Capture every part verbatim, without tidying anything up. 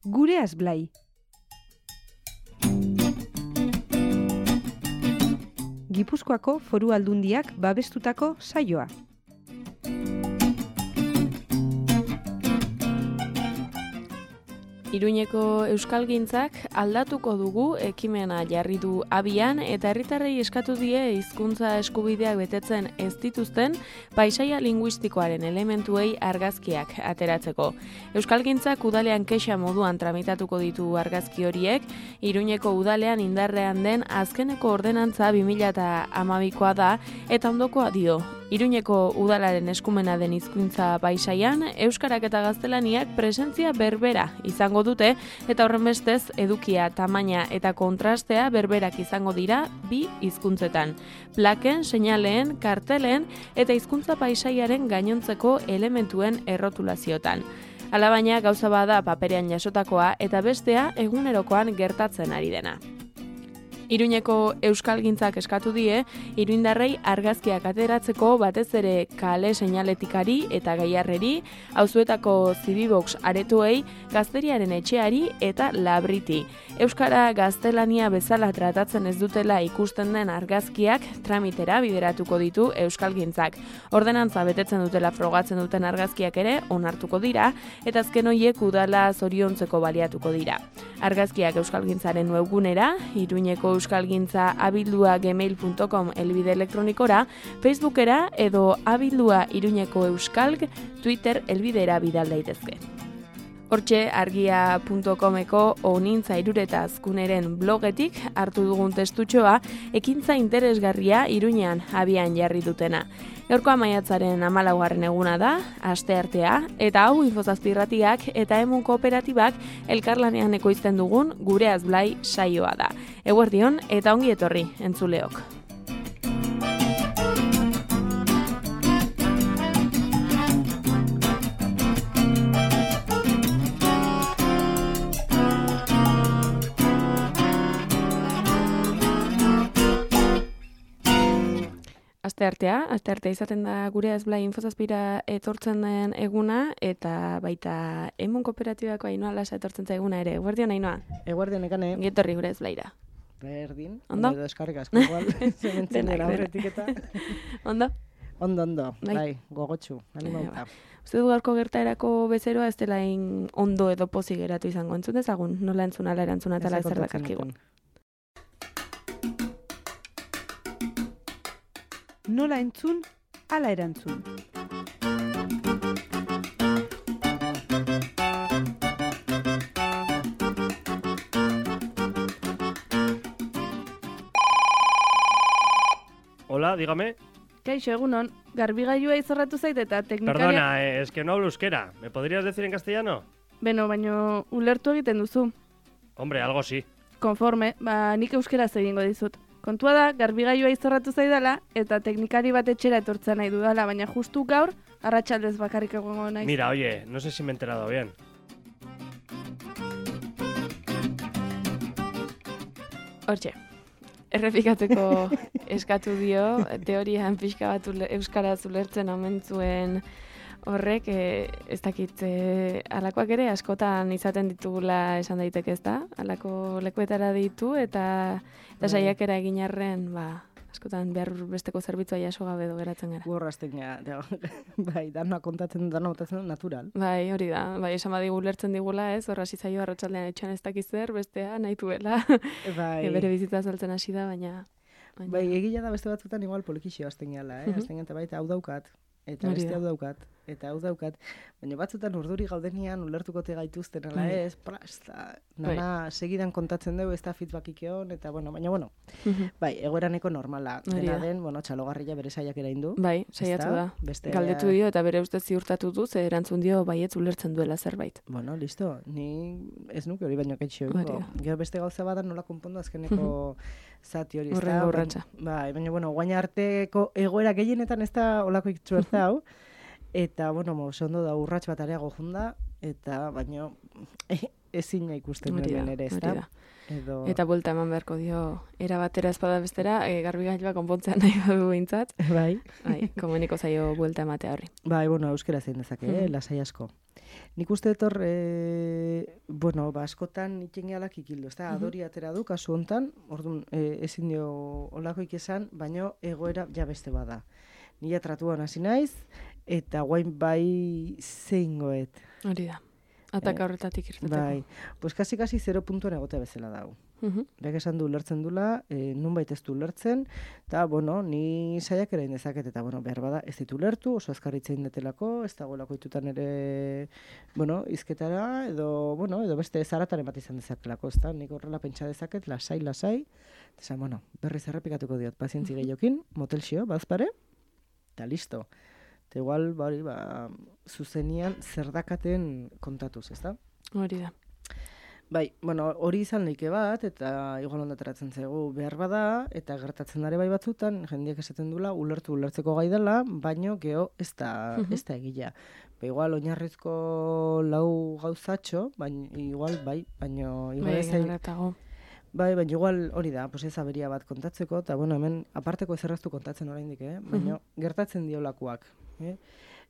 Gureaz Blai. Gipuzkoako Foru Aldundiak babestutako saioa. Iruñeko euskalgintzak aldatuko dugu ekimena jarri du abian eta herritarrei eskatu die hizkuntza eskubideak betetzen ez dituzten paisaia linguistikoaren elementuei argazkiak ateratzeko. Euskalgintzak udalean kexa moduan tramitatuko ditu argazki horiek, Iruñeko udalean indarrean den azkeneko ordenantza bi mila hamabikoa da eta ondokoa dio. Iruñeko udalaren eskumena den hizkuntza paisaian, euskarak eta gaztelaniak presentzia berbera izango dute eta horrenbestez edukia, tamaina eta kontrastea berberak izango dira bi hizkuntzetan. Plaken, seinaleen, kartelen eta hizkuntza paisaiaren gainontzeko elementuen errotulaziotan. Alabaina gauza bada paperean jasotakoa eta bestea egunerokoan gertatzen ari dena. Iruñeko euskalgintzak eskatu die, iruindarrei argazkiak ateratzeko batez ere kale seinaletikari eta gaiarreri, auzuetako zibibox aretoei, gazteriaren etxeari eta labriti. Euskara gaztelania bezala tratatzen ez dutela ikusten den argazkiak tramitera bideratuko ditu euskalgintzak. Ordenantza betetzen dutela frogatzen duten argazkiak ere onartuko dira, eta azken horiek udala zoriontzeko baliatuko dira. Argazkiak euskalgintzaren webgunera, Iruñeko euskalgintza abildua gmail punto com elbide elektronikora, Facebookera edo abildua Iruñeko euskalg Twitter elbidera bidal daitezke. Hortxe argia punto comeko onintza irureta azkuneren blogetik hartu dugun testutxoa ekintza interesgarria Iruñean abian jarri dutena. Gaurkoa maiatzaren hamalaugarren eguna da, asteartea, eta hau Infozazpirratiak eta Emun Kooperatibak elkarlanean ekoizten dugun Gureaz Blai saioa da. Eguerdion eta ongi etorri entzuleok. Asteartea, asteartea izaten da Gureaz Blai Infozazpira etortzen den eguna eta baita Emun Kooperatibako Ainhoa Lasa etortzen zaiguna ere. Eguerdion Ainhoa? Eguerdion ekane. Gietorri Gureaz Blaira. Berdin. Ondo? Edo eskarrik asko igual. Zementzen dira horretik eta. Ondo? Ondo, ondo. Bai, bai gogotsu. Animauta. Uste du gaurko gertaerako bezeroa ez dela in ondo edo pozik geratu izango. Entzun dezagun? Nola entzun ala erantzuna eta zer dakarkigu. Nola entzun, ala erantzun. Hola, dígame. Kaixo, egunon, garbigailua izorratu zait eta teknikaria... Perdona, eh, es que no hablo euskera. ¿Me podrías decir en castellano? Beno, baino ulertu egiten duzu. Hombre, algo sí. Konforme, ba nik euskaraz egingo dizut. Kontua da, garbigailua izorratu zaidala eta teknikari bat etxera etortzen nahi dudala, baina justu gaur, arratsaldez bakarrik egongo naiz. Mira, oye, no sé si me he enterado bien. Hortxe, errepikatzeko eskatu dio, teorian pixka bat ule, euskaraz ulertzen omen zuen horrek, e, ez dakit, e, alakoak ere askotan izaten ditugula esan daiteke ez da, alako lekuetara ditu eta, eta saiakera egin arren, ba, askotan behar besteko zerbitzua jaso gabe edo geratzen gara. Gurrazten gara, bai, dana kontatzen dana botatzen natural. Bai, hori da, bai, esan badigu ulertzen digula, ez, horra zaio arratsaldean etxean ez dakiz zer, bestea nahi duela, bai. e, bere bizitza saltzen hasi da, baina... baina... Bai, egila da beste batzutan igual polikixio azten gala, eh? Uh-huh. Azten eta baita hau daukat, eta beste hau daukat, eta hau daukat, baina batzutan urduri gaudenian ulertukote gaituzten, ala ez, plasta, nana segidan kontatzen dugu, ez da feedbackik egon, eta bueno, baina bueno, uh-huh. bai, egoeraneko normala, dena den, bueno, txalogarria bere saiak erain du. Bai, saiatu da, beste... galdetu dio eta bere ustez ziurtatu du, ze erantzun dio baietz ulertzen duela zerbait. Bueno, listo, ni ez nuke hori baino kaitxo. Gero beste gauza bada nola konpondu azkeneko zati hori, ez da? Horren urratsa. Bai, baina, bueno, guain arteko egoera gehienetan ez da olako ikitzu ez da hau. Eta, bueno, oso ondo da urrats bat areago junda, eta, baino, ezina ikusten Hori da, hemen ere, ez hori da? da. Edo... Eta buelta eman beharko dio, era batera espada bestera, e, garbigailua konpontzea nahi badu behintzat. Bai. Bai, komuniko zaio buelta ematea horri. Bai, bueno, euskera zein dezake, eh? Mhm. Lasai asko. Nik uste etor, e, bueno, ba, askotan itxengialak ikildu, ez da? Mhm. Adori atera du, kasu hontan, orduan, e, ezin dio olakoik esan, baino egoera ja beste bada. Nila tratuan hasi naiz, eta guain bai zeingoet. Hori da. Ataka horretatik irteteko. Bai, pues kasi-kasi zero puntuan egotea bezala dago. Mhm. Beak esan du ulertzen dula, e, nunbait ez du ulertzen, eta, bueno, ni saiak erain dezaket, eta, bueno, behar bada, ez ditu ulertu, oso azkarritzein detelako, ez dagoelako itutan ere, bueno, izketara, edo, bueno, edo beste zarataren bat izan dezakelako, ez da, nik horrela pentsa dezaket, lasai, lasai, eta, bueno, berriz errepikatuko diot, pazientzi gehiokin, motelxio, bazpare, eta listo. Eta igual, bari, ba, zuzenian zerdakaten kontatuz, ez da? Hori da. Bai, bueno, hori izan leike bat, eta igual ondateratzen zaigu behar bada, eta gertatzen dare bai batzutan, jendeak esaten dula, ulertu ulertzeko gai dela, baino geho ez da, ez da egila. Ba, igual oinarrizko lau gauzatxo, baina igual, bai, baino igual Bai, ez da- gerratago. Bai, baina igual hori da, pues ez aberia bat kontatzeko, eta bueno, hemen aparteko ezerraztu kontatzen oraindik, eh? Baina gertatzen diolakoak. Eh?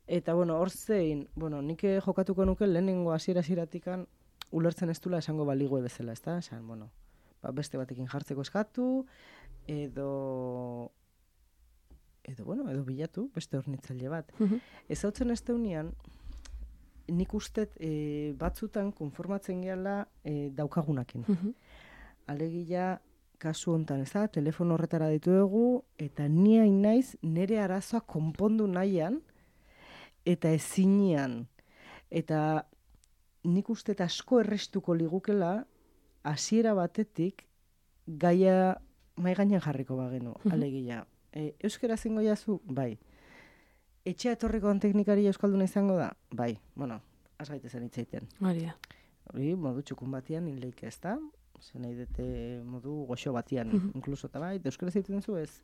Eta bueno, hor zein, bueno, nik jokatuko nuke lehenengo hasiera hasieratikan ulertzen ez dula esango baligue bezala, ezta? Esan, bueno, ba, beste batekin jartzeko eskatu, edo edo bueno, edo bilatu beste hornitzaile bat. Mhm. Ezautzen ez deunean, nik ustet e, batzutan konformatzen gehala e, daukagunakin. Mhm. Alegia, kasu hontan, ez da, telefono horretara ditu dugu, eta ni hain naiz nire arazoa konpondu nahian, eta ezinean. Eta nik uste eta asko errestuko ligukela, hasiera batetik, gaia mai gainean jarriko bagenu, alegia. E, euskera zingo jazu? Bai. Etxea etorriko teknikari euskalduna izango da? Bai. Bueno, az gaitezen hitzaiten. Hori da. Hori, modu txukun batian hinleik ez da? Zer nahi dute modu goxo batian, Mhm. inkluso, eta bai, euskara egiten zu ez?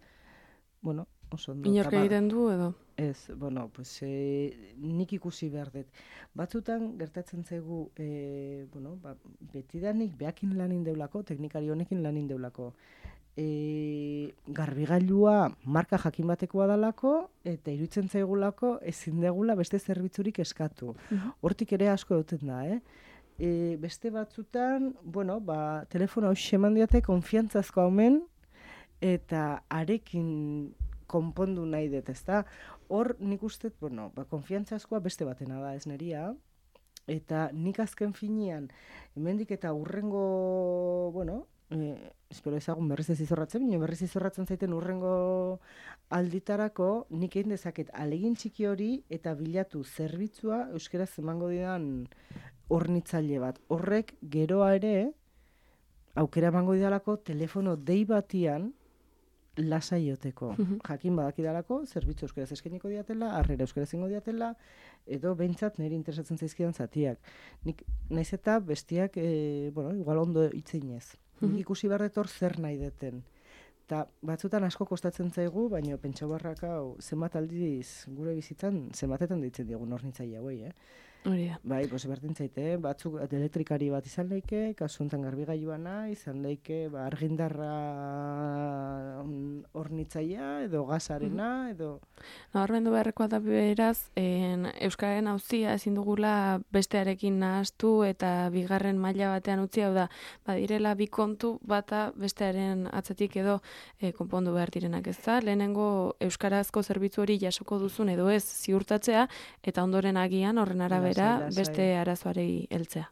Bueno, oso ondo. Inork eta ba- egiten du edo? Ez, bueno, pues, e, nik ikusi behar dut. Batzutan gertatzen zaigu, e, bueno, ba, betidanik behakin lanin deulako, teknikari honekin lanin deulako. E, garbigailua marka jakin batekoa dalako, eta iruditzen zaigulako ezin degula beste zerbitzurik eskatu. Hortik ere asko duten da, eh? E, beste batzutan, bueno, ba, telefono hau xeman diate konfiantzazko haumen, eta arekin konpondu nahi dut, ezta? Hor nik uste, bueno, ba, konfiantzazkoa beste batena da, ez neria, eta nik azken finean, hemendik eta urrengo, bueno, eh, espero ezagun berriz ez izorratzen, baina berriz izorratzen zaiten urrengo alditarako, nik egin dezaket alegin txiki hori eta bilatu zerbitzua euskaraz emango didan hornitzaile bat. Horrek geroa ere, aukera emango didalako telefono dei batian lasaioteko. Jakin badakidalako, zerbitzu euskaraz eskainiko diatela, harrera euskaraz ingo diatela, edo behintzat niri interesatzen zaizkidan zatiak. Nik naiz eta bestiak, e, bueno, igual ondo itzeinez. Nik ikusi barretor zer nahi deten. Eta batzutan asko kostatzen zaigu, baina pentsa barrak hau zenbat aldiz gure bizitzan zenbatetan deitzen diogun hornitzaile hauei, eh? Hori da. Bai, pues berdin zaite, batzuk elektrikari bat izan leike, kasu honetan garbigailua izan leike, ba, argindarra hornitzailea, edo gasarena, edo... Nabarmendu beharrekoa da beraz, en, Euskararen auzia ezin dugula bestearekin nahastu eta bigarren maila batean utzi, hau da, badirela bi kontu bata bestearen atzetik edo e, konpondu behar direnak, ez da? Lehenengo euskarazko zerbitzu hori jasoko duzun edo ez ziurtatzea, eta ondoren agian horren arabera Lasai, lasai. beste arazoarei heltzea.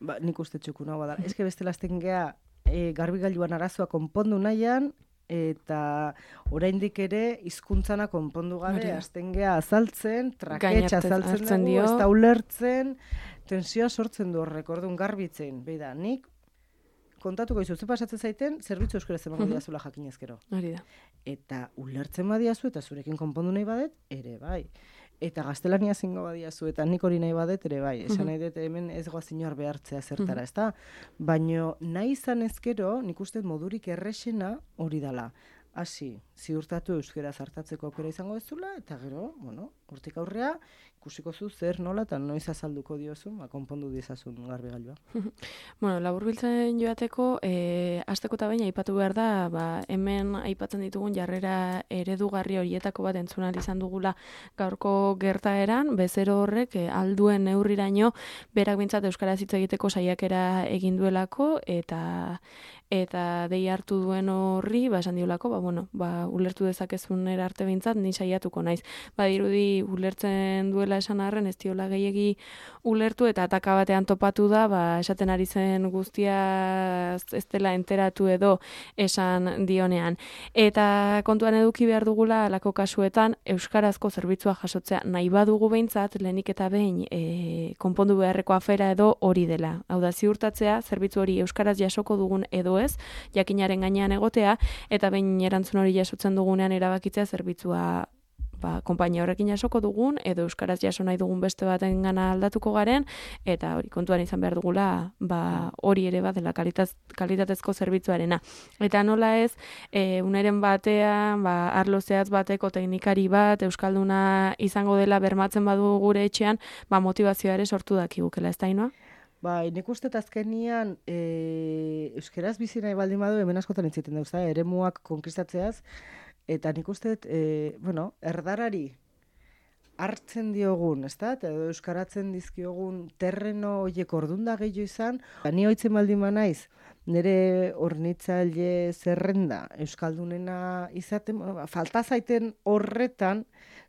Ba, nik uste txukuna bada. Ez que beste lasten gea e, garbigailuan arazoa konpondu nahian, eta oraindik ere hizkuntzana konpondu Hori gabe, da. azten gea azaltzen, traketxa Gainartez azaltzen hartzen dugu, dio. ez da ulertzen, tensioa sortzen du horrek, orduan garbitzen. Beida, nik kontatuko izu, ze pasatzen zaiten, zerbitzu euskaraz emango diazula jakinez gero. Hori da. Eta ulertzen badiazu, eta zurekin konpondu nahi badet, ere bai. Eta gaztelania zingo badiazu, eta nik hori nahi badet, ere bai. Esan nahi dut hemen ez goaz inor behartzea zertara, ez da? Baina nahi izan ezkero, nik uste modurik errexena hori dala. Hasi, ziurtatu euskera zartatzeko aukera izango ezula, eta gero, bueno, hortik aurrea, ikusiko zu zer nola eta noiz azalduko diozun, ba, konpondu diezazun garbigailua. Bueno, laburbiltzen joateko, e, asteko eta baina aipatu behar da, ba, hemen aipatzen ditugun jarrera eredugarri horietako bat entzun ahal izan dugula gaurko gertaeran, bezero horrek e, alduen neurriraino berak bintzat euskaraz hitz egiteko saiakera egin duelako, eta eta dei hartu duen horri, ba, esan diolako, ba, bueno, ba, ulertu dezakezun arte bintzat, ni saiatuko naiz. Ba, dirudi ulertzen duela esan arren, ez diola gehiegi ulertu, eta ataka batean topatu da, ba, esaten ari zen guztia ez dela enteratu edo esan dionean. Eta kontuan eduki behar dugula, alako kasuetan, euskarazko zerbitzua jasotzea nahi badugu behintzat, lehenik eta behin e, konpondu beharreko afera edo hori dela. Hau da, ziurtatzea, zerbitzu hori euskaraz jasoko dugun edo ez, jakinaren gainean egotea, eta behin erantzun hori jasotzen dugunean erabakitzea zerbitzua ba, konpainia horrekin jasoko dugun, edo euskaraz jaso nahi dugun beste baten gana aldatuko garen, eta hori kontuan izan behar dugula, ba, hori ere bat dela kalitatez, kalitatezko zerbitzuarena. Eta nola ez, e, uneren batean, ba, arlo zehatz bateko teknikari bat, euskalduna izango dela bermatzen badu gure etxean, ba, motivazioa ere sortu dakigukela, ez da, Ainhoa? Bai, nik uste azkenian e, euskeraz bizi nahi baldin badu hemen askotan entziten dauz, eremuak konkistatzeaz, eta nik uste, e, bueno, erdarari hartzen diogun, ez da, eta euskaratzen dizkiogun terreno horiek ordunda gehiago izan, ba, ni hoitzen baldin naiz, nire hornitzaile zerrenda euskaldunena izaten, bueno, falta zaiten horretan,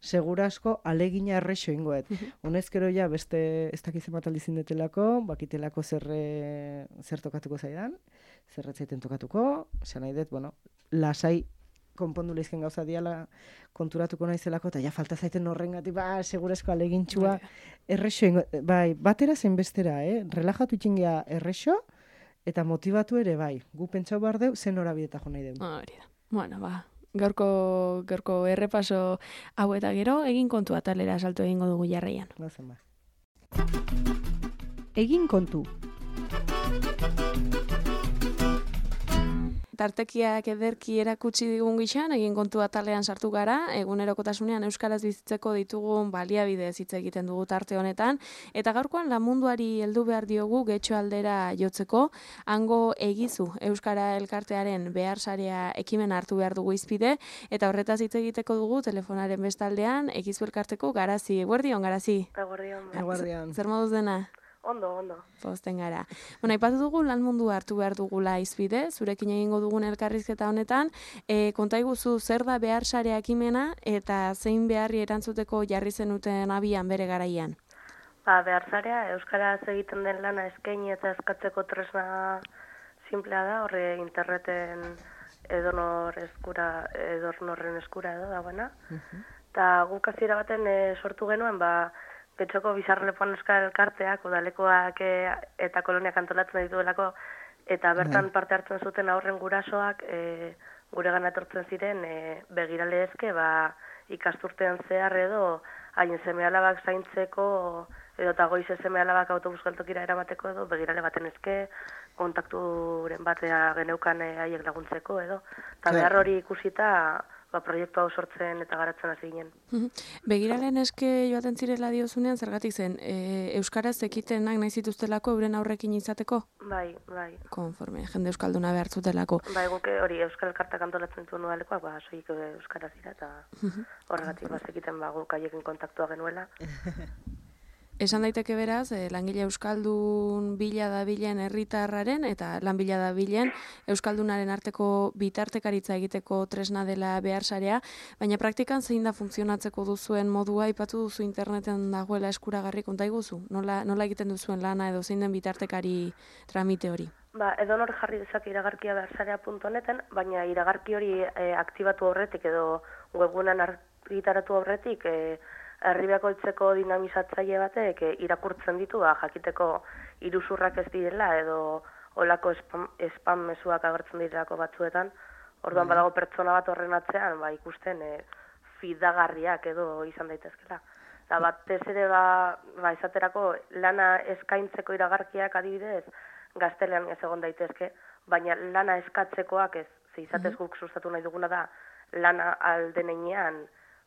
segurasko alegina errexo ingoet. Honezkero ja beste ez dakizen bat aldizin detelako, bakitelako zer, zer tokatuko zaidan, zerretzaiten tokatuko, esan nahi dut, bueno, lasai konpondu lehizken gauza diala konturatuko naizelako, eta ja falta zaiten horrengatik, ba, segurasko alegintxua errexo ingoet. Bai, batera zein bestera, eh? Relajatu itxingea errexo, eta motivatu ere bai. Gu pentsau behar deu, zen horabideta jo nahi deu. Hori da. Bueno, ba, gaurko, gaurko errepaso hau eta gero, egin kontu atalera salto egingo dugu jarraian. Bazen ba. Egin kontu. Tartekiak ederki erakutsi digun gixan, egin kontu atalean sartu gara, egunerokotasunean euskaraz bizitzeko ditugun baliabidez hitz egiten dugu tarte honetan, eta gaurkoan lamunduari heldu behar diogu getxo aldera jotzeko, hango egizu euskara elkartearen behar sarea ekimen hartu behar dugu izpide, eta horretaz hitz egiteko dugu telefonaren bestaldean egizu elkarteko Garazi. Eguerdion, Garazi? Eguerdion. Eguerdion. Zer moduz dena? Ondo, ondo. Pozten gara. Bueno, aipatu dugu lan mundu hartu behar dugula izbide, zurekin egingo dugun elkarrizketa honetan, e, konta iguzu zer da behar sarea ekimena eta zein beharri erantzuteko jarri zenuten abian bere garaian? Ba, behar sarea, euskaraz egiten den lana eskaini eta eskatzeko tresna simplea da, horre interneten edonor eskura, edonorren eskura edo dagoena. Eta uh-huh. guk hasiera baten e, sortu genuen, ba, Getxoko Bizarrelepoan euskal elkarteak, udalekoak e, eta koloniak antolatzen dituelako, eta bertan parte hartzen zuten aurren gurasoak e, gure gana etortzen ziren e, begirale ezke, ba, ikasturtean zehar edo haien seme-alabak zaintzeko edo eta goize seme-alabak autobus geltokira eramateko edo begirale baten ezke, kontakturen batea geneukan e, haiek laguntzeko edo. Eta behar hori ikusita, ba, proiektu hau sortzen eta garatzen hasi ginen. Begiralen eske joaten zirela diozunean, zergatik zen, e, euskaraz ekitenak nahi zituztelako euren aurrekin izateko? Bai, bai. Konforme, jende euskalduna behar zutelako. Bai, guke hori euskal elkartak antolatzen zuen udalekoak, ba, soik euskaraz dira, eta horregatik bazekiten ba, guk haiekin kontaktua genuela. Esan daiteke beraz, eh, langile euskaldun bila dabilen herritarraren eta lan bila dabilen euskaldunaren arteko bitartekaritza egiteko tresna dela behar sarea, baina praktikan zein da funtzionatzeko duzuen modua, aipatu duzu interneten dagoela eskuragarri, konta iguzu? Nola, nola egiten duzuen lana edo zein den bitartekari tramite hori? Ba, edonor jarri dezake iragarkia beharsarea puntu honeten, baina iragarki hori e, aktibatu aurretik edo webunan argitaratu aurretik e, herribeako itzeko dinamizatzaile batek e, irakurtzen ditu, ba, jakiteko iruzurrak ez direla edo olako spam, spam mezuak agertzen direlako batzuetan. Orduan badago pertsona bat horren atzean, ba, ikusten e, fidagarriak edo izan daitezkela. Eta batez ere ba, ba, esaterako lana eskaintzeko iragarkiak adibidez, gaztelean ez egon daitezke, baina lana eskatzekoak ez, ze izatez guk sustatu nahi duguna da, lana aldenean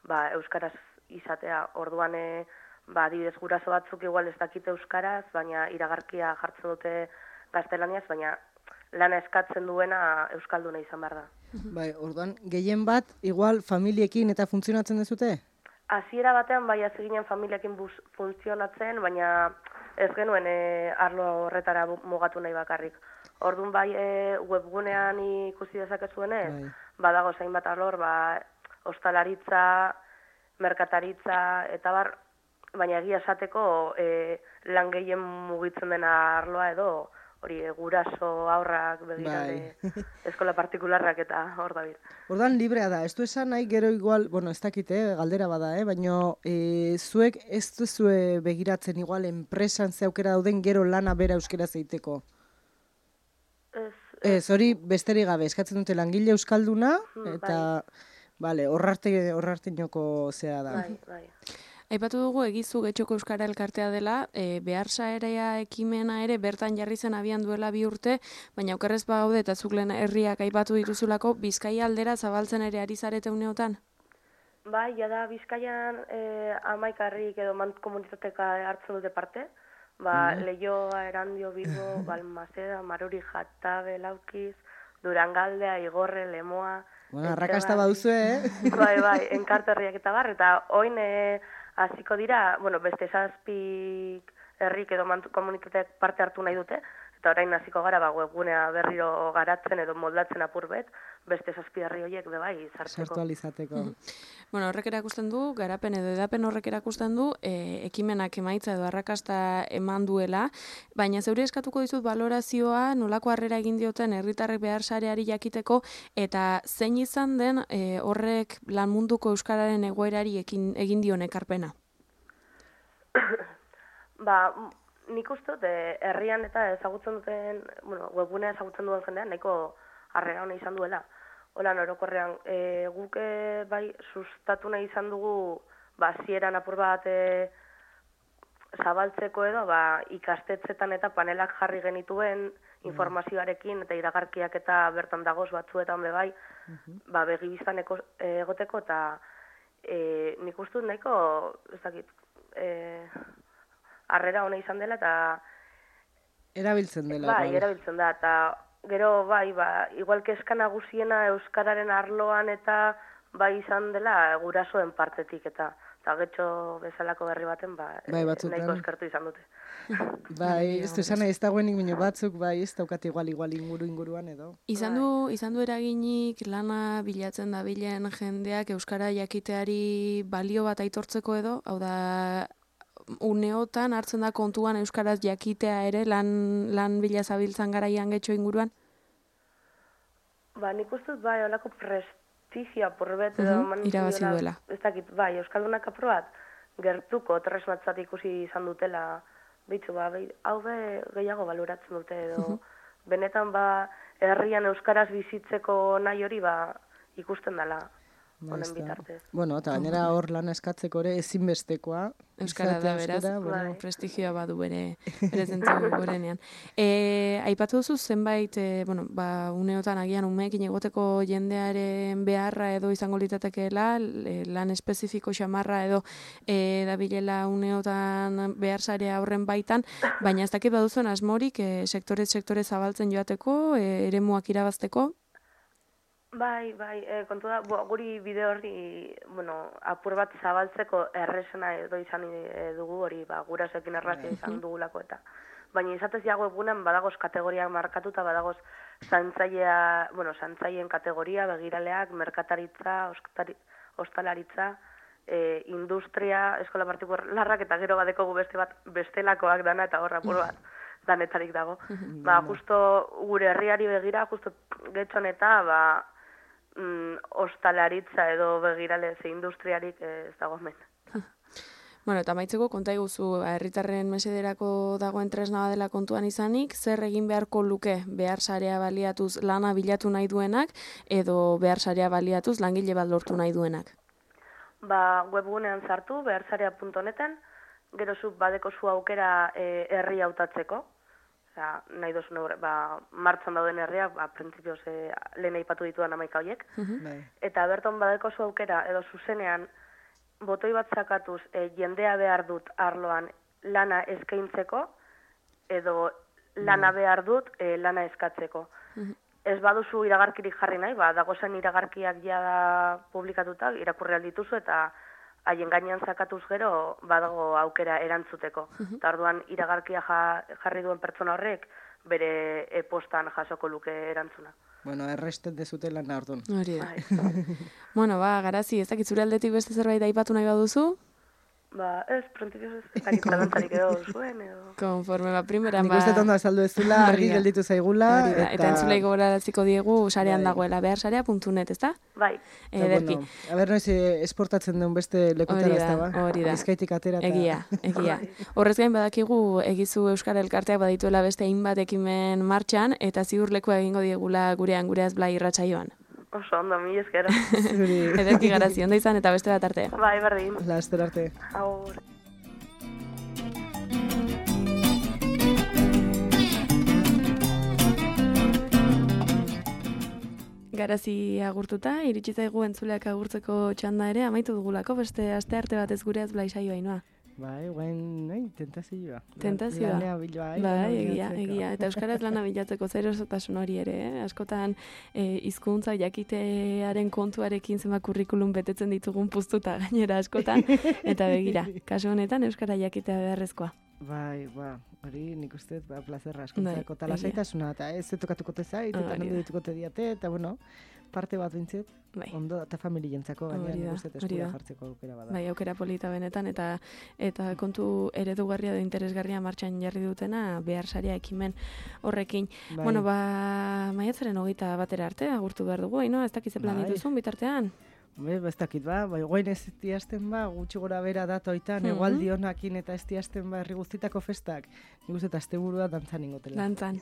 ba, euskaraz izatea. Orduan, e, ba, adibidez guraso batzuk igual ez dakite euskaraz, baina iragarkia jartzen dute gaztelaniaz, baina lana eskatzen duena euskalduna izan behar da. Bai, orduan, gehien bat, igual familiekin eta funtzionatzen dezute? Hasiera batean, bai, hasi ginen familiakin buz, funtzionatzen, baina ez genuen e, arlo horretara mugatu nahi bakarrik. Orduan, bai, e, webgunean ikusi dezakezuenez, bai. Badago zainbat arlor, ba, ostalaritza, merkataritza, eta bar, baina egia esateko e, lan gehien mugitzen dena arloa edo, hori guraso aurrak begirale bai. Eskola partikularrak eta hor da bir. Ordan librea da, ez du esan nahi gero igual, bueno, ez dakit, eh, galdera bada, eh, baina e, zuek ez duzue begiratzen igual enpresan ze aukera dauden gero lana bera euskera zeiteko? Ez, ez, hori besterik gabe, eskatzen dute langile euskalduna, eta, bai. Bale, horrarte, horrarte inoko zera da. Bai, bai. Aipatu dugu egizu Getxoko Euskara Elkartea dela, e, beharsaerea ekimena ere bertan jarri zen abian duela bi urte, baina okerrez bagaude eta zuk lehen herriak aipatu dituzulako, Bizkaia aldera zabaltzen ere ari zarete uneotan? Bai, jada Bizkaian e, amaikarrik edo mant komunitateka hartzen dute parte, ba, mm. Leioa, Erandio, Bilbo, Balmaseda, Maruri, Jatabe, Laukiz, Durangaldea, Igorre, Lemoa... Bueno, arrakasta baduzu, eh? Bai, bai, enkarterriak eta bar, eta oin e, hasiko dira, bueno, beste zazpik herrik edo komunitateak parte hartu nahi dute, eta orain hasiko gara ba, webgunea berriro garatzen edo moldatzen apur bet, beste zazpi herri horiek be bai sartzeko. Sartu alizateko. Mm. Bueno, horrek erakusten du, garapen edo edapen horrek erakusten du, e, ekimenak emaitza edo arrakasta eman duela, baina zeure eskatuko dizut balorazioa nolako harrera egin dioten herritarrek behar sareari jakiteko, eta zein izan den e, horrek lan munduko euskararen egoerari ekin, egin dion ekarpena? Ba, nik uste dut, herrian eta ezagutzen duten, bueno, webgunea ezagutzen duen jendean, nahiko harrera hona izan duela. Hola, orokorrean, e, guk e, bai sustatu nahi izan dugu, ba, zieran apur bat e, zabaltzeko edo, ba, ikastetzetan eta panelak jarri genituen informazioarekin eta iragarkiak eta bertan dagoz batzuetan be bai, uh-huh. ba, begibiztan egoteko eta e, nik uste dut nahiko, ez dakit, e, harrera hona izan dela eta... Erabiltzen dela. Bai, bai. Erabiltzen da, eta gero bai, ba, igual kezka nagusiena euskararen arloan eta bai izan dela gurasoen partetik eta eta getxo bezalako berri baten ba, bai, nahiko eskertu izan dute. Bai, ez du esan ez dagoenik minio batzuk, bai, ez daukat igual igual inguru inguruan edo. Izan du, izan du eraginik lana bilatzen da bilen jendeak euskara jakiteari balio bat aitortzeko edo, hau da uneotan hartzen da kontuan euskaraz jakitea ere lan, lan bila zabiltzan garaian getxo inguruan? Ba, nik uste dut bai, holako prestigioa porbet edo uh-huh, irabazi duela. Ez dakit, bai, euskaldunak aprobat gertuko tresnatzat ikusi izan dutela, bitzu, ba, hau be gehiago baloratzen dute edo, uh-huh. benetan ba, herrian euskaraz bizitzeko nahi hori ba, ikusten dela. Honen bitartez. Bueno, eta gainera hor lan eskatzeko ere ezinbestekoa. Euskara da, beraz, bueno, prestigioa badu bere, bere zentzu gorenean. E, aipatu duzu zenbait, e, bueno, ba, uneotan agian umeekin egoteko jendearen beharra edo izango litatekeela, lan espezifiko xamarra edo e, dabilela uneotan behar sarea horren baitan, baina ez dakit baduzuen asmorik e, sektore sektore zabaltzen joateko, e, eremuak irabazteko? Bai, bai, e, kontu da, bo, guri bideo hori, bueno, apur bat zabaltzeko erresena edo izan e, dugu hori, ba, gurasoekin errazia izan dugulako eta. Baina izatez ja webgunean badagoz kategoriak markatuta, badagoz zantzailea, bueno, zantzaien kategoria, begiraleak, merkataritza, oskatari, ostalaritza, e, industria, eskola partikularrak eta gero badeko gu beste bat bestelakoak dana eta horra apur bat danetarik dago. Ba, justo gure herriari begira, justo getxon eta, ba, Mm, ostalaritza edo begirale ze industriarik ez dago hemen. Bueno, eta maitzeko konta iguzu, herritarren mesederako dagoen tresna badela kontuan izanik, zer egin beharko luke behar sarea baliatuz lana bilatu nahi duenak edo behar sarea baliatuz langile bat lortu nahi duenak? Ba, webgunean sartu, beharsarea puntu neten, gero zu badeko zu aukera e, herri hautatzeko. Osea, nahi duzun neure, ba, martxan dauden herriak, ba, printzipioz e, lehen aipatu ditudan amaika horiek. Bai. Eta berton badeko zu aukera, edo zuzenean, botoi bat zakatuz, e, jendea behar dut arloan lana eskaintzeko, edo lana behar dut e, lana eskatzeko. Ez baduzu iragarkirik jarri nahi, ba, dagozen iragarkiak jada publikatuta, irakurri aldituzu eta haien gainean zakatuz gero badago aukera erantzuteko. Eta orduan iragarkia ja, jarri duen pertsona horrek bere e-postan jasoko luke erantzuna. Bueno, errestet dezute lan orduan. Hori da. Bueno, ba, Garazi, ez dakit zure aldetik beste zerbait aipatu nahi baduzu? Ba, ez, printzipioz ez dakit zalantzarik edo zuen, edo... Konforme, ba, primeran, Nik ba... uste tondo azaldu ez dula, argi gelditu zaigula. Eta, eta entzulei gogoraraziko diegu sarean Bai. dagoela, beharsarea puntu net, ezta? Bai. Ederki. Bueno, a ber, noiz eh, esportatzen duen beste lekutera Hori ez da, da, ba? hori da. Bizkaitik atera eta... Egia, egia. Horrez gain badakigu egizu Euskal Elkarteak badituela beste hainbat ekimen martxan, eta ziur lekua egingo diegula gurean gureaz Blai irratsaioan. Oso ondo, mi eskero. Zuri. Ederki Garazi, ondo izan eta beste bat arte. Bai, berdin. Laster arte. Aur. Garazi agurtuta, iritsi zaigu entzuleak agurtzeko txanda ere, amaitu dugulako beste aste arte batez gureaz Blai saioa Ainoa. Bai, guen, nahi, tentazioa. Tentazioa. Lanea biloa, eh? Bai, lana egia, bilatzeko. egia. Eta euskaraz lana bilatzeko zer erosotasun hori ere, eh? Askotan eh, hizkuntza jakitearen kontuarekin zenbat kurrikulum betetzen ditugun puztuta gainera askotan, eta begira, kasu honetan euskara jakitea beharrezkoa. Bai, ba, hori nik uste, ba, plazerra Bai, askuntzako, eta egia. lasaitasuna, eta ez tokatuko te zait, eta Hori nondo da. dituko te diate, eta bueno, parte bat bintzet, Bai. ondo, eta familientzako, gaina Hori nik da, uste hori eskura da. jartzeko aukera bada. Bai, aukera polita benetan, eta eta kontu eredugarria edo interesgarria martxan jarri dutena behar saria ekimen horrekin. Bai. Bueno, ba, maiatzaren hogeita batera arte, agurtu behar dugu, no? Ez dakize plan Bai. dituzun bitartean? Be, ez dakit ba, bai, guain ez diazten ba, gutxi gora bera datoitan, Mhm. egualdi honakin eta ez diazten ba, herri guztitako festak. Nik uste eta asteburua dantzan ingotela. Dantzan.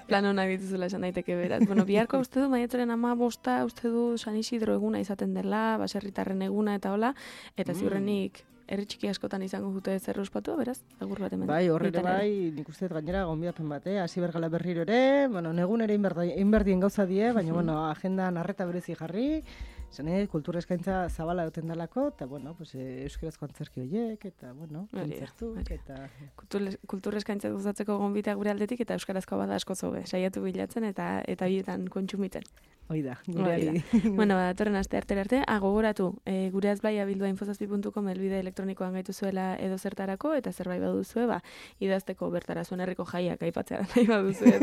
Plan honak dituzula esan daiteke beraz. Bueno, biharko uste du, maiatzaren ama bosta, uste du San Isidro eguna izaten dela, baserritarren eguna eta hola, eta Mm. ziurrenik herri txiki askotan izango dute zer ospatu, beraz, agur bat hemen. Bai, horre ere Bitan ere. bai, nik uste dut gainera gonbidapen bat, eh? Hasi bergala berriro ere, bueno, negun ere inberdien gauza die, baina, bueno, agendan arreta berezi jarri, zene, kultura eskaintza zabala duten dalako, eta, bueno, pues, eh, euskarazko antzerki horiek, eta, bueno, Hori da, kontzertuk, hori. eta... Kultur- Kultur eskaintza gustatzeko gonbita gure aldetik eta euskarazko bada asko zobe, saiatu bilatzen eta eta bietan kontsumitzen. Hoi da, Hori gureari. Bueno, ba, datorren aste arte arte, ah, gogoratu, e, gureaz Blai abildua infozazpi puntu com helbide elektronikoan gaitu zuela edo zertarako, eta zerbait baduzue, ba, idazteko bertara zuen herriko jaiak aipatzea nahi baduzue,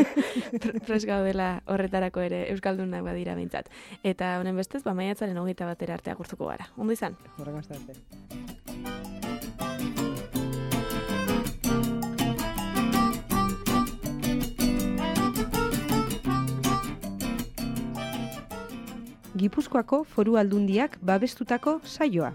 prest gaudela horretarako ere euskaldunak badira behintzat. Eta honen bestez, ba, maiatzaren hogeita batera arte agurtuko gara. Ondo izan? Horrengo aste arte. Gipuzkoako Foru Aldundiak babestutako saioa.